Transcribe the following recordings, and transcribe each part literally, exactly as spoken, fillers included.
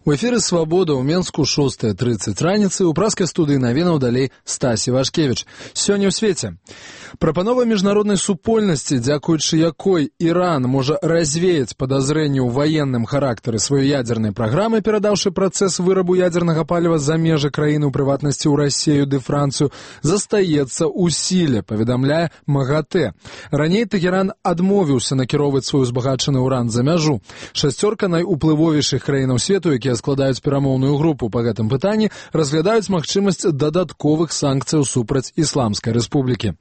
У эфіры «Свабода» ў Менску шостая трыццаць раніцы, у праскай студыі навінаў далей Стасі Вашкевіч. Сёння ў свеце. Прапанова міжнароднай супольнасці, дзякуючы якой Іран можа развеяць падазрэнні ў ваенным характары сваёй ядзернай праграмы, перадаўшы працэс вырабу ядзернага паліва за межы краіны, у прыватнасці ў Расію ды Францыю, застаецца ў сіле, паведамляе МАГАТЭ. Раней Тэгеран адмовіўся накіроўваць свой узбагачаны ўран за мяжу. Шасцёрка найуплывовейшых краінаў свету, якія складаюць перамоўную групу па гэтым пытанні, разглядаюць магчымасць дадатковых санкцыяў супраць Ісламскай Рэспублікі.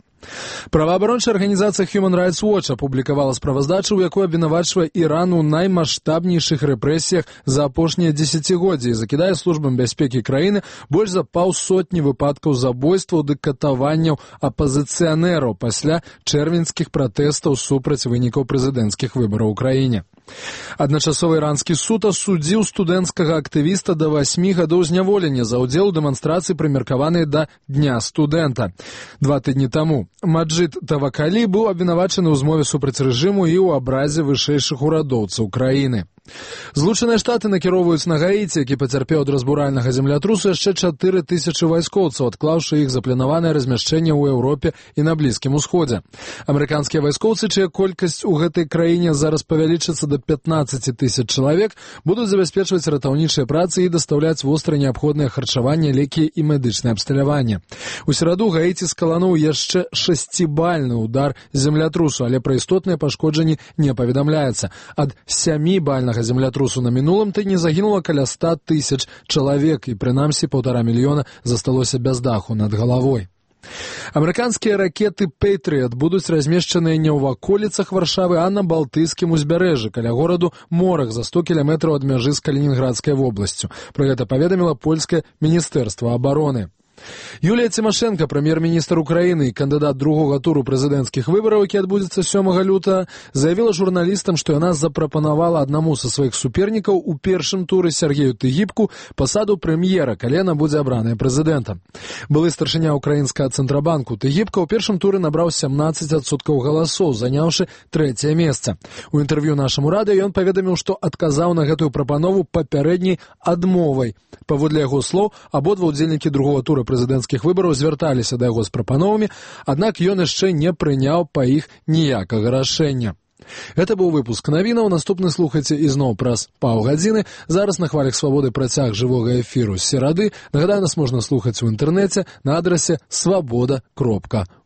Праваабарончая арганізацыя Human Rights Watch апублікавала справаздачу, у якой абвінавачвае Іран у наймаштабнейшых рэпрэсіях за апошнія дзесяцігоддзі і закідае службам бяспекі краіны больш за паўсотні выпадкаў забойстваў ды катаванняў апазіцыянераў пасля чэрвеньскіх пратэстаў супраць вынікаў прэзідэнцкіх выбараў у краіне. Адначасова іранскі суд асудзіў студэнцкага актывіста да васьмі гадоў зняволення за ўдзел у дэманстрацыі, прымеркаванай да Дня студэнта. Два тыдні таму Маджид Тавакалі быў абвінавачаны ў змове супраць рэжыму і ў абразе вышэйшых урадоўцаў краіны. Злучаныя Штаты накіроўваюць на Гаіці, які пацярпеў ад разбуральнага землятрусу, яшчэ чатыры тысячы вайскоўцаў, адклаўшы іх запланаванае размяшчэнне ў Еўропе і на Блізкім Усходзе. Амерыканскія вайскоўцы, чыя колькасць у гэтай краіне зараз павялічыцца да пятнаццаці тысяч чалавек, будуць забяспечваць ратаўнічыя працы і дастаўляць востра неабходнае харчаванне, лекі і медычнае абсталяванне. У сераду Гаіці скалануў яшчэ шасцібальны ўдар землятрусу, але пра істотныя пашкоджанні не паведамляецца. Ад сямібальнага землятрусу на мінулым тыдні загінула каля ста тысяч чалавек, і прынамсі паўтара мільёна засталося без даху над галавой. Амерыканскія ракеты «Пэйтрыят» будуць размешчаныя не ў ваколіцах Варшавы, а на Балтыйскім узбярэжжы, каля гораду Морах, за сто кіламетраў ад мяжы з Калінінградскай вобласцю. Пра гэта паведаміла польскае міністэрства абароны. Юлія Цімашэнка, прэм'ер-міністр Украіны і кандыдат другога туру прэзідэнцкіх выбараў, які адбудзецца сёмага лютага, заявіла журналістам, што яна запрапанавала аднаму са сваіх супернікаў у першым туры Сергею Тыгіпку пасаду прэм'ера, калі яна будзе абраная прэзідэнтам. Былы старшыня украінскага цэнтрабанку Тыгіпка ў першым туры набраў сямнаццаць адсоткаў галасоў, заняўшы трэцяе месца. У інтэрв'ю нашаму радыё ён паведаміў, што адказаў на гэтую прапанову папярэдняй адмовай. Паводле яго слоў, абодва ўдзельнікі другога тура прэзідэнцкіх выбараў звярталіся да яго з прапановамі, аднак ён яшчэ не прыняў па іх ніякага рашэння. Гэта быў выпуск навінаў. Наступны слухайце ізноў праз паўгадзіны. Зараз на хвалях свабоды працяг жывога эфіру з серады. Нагадаю, нас можна слухаць у інтэрнэце на адрасе свабода кропка орг.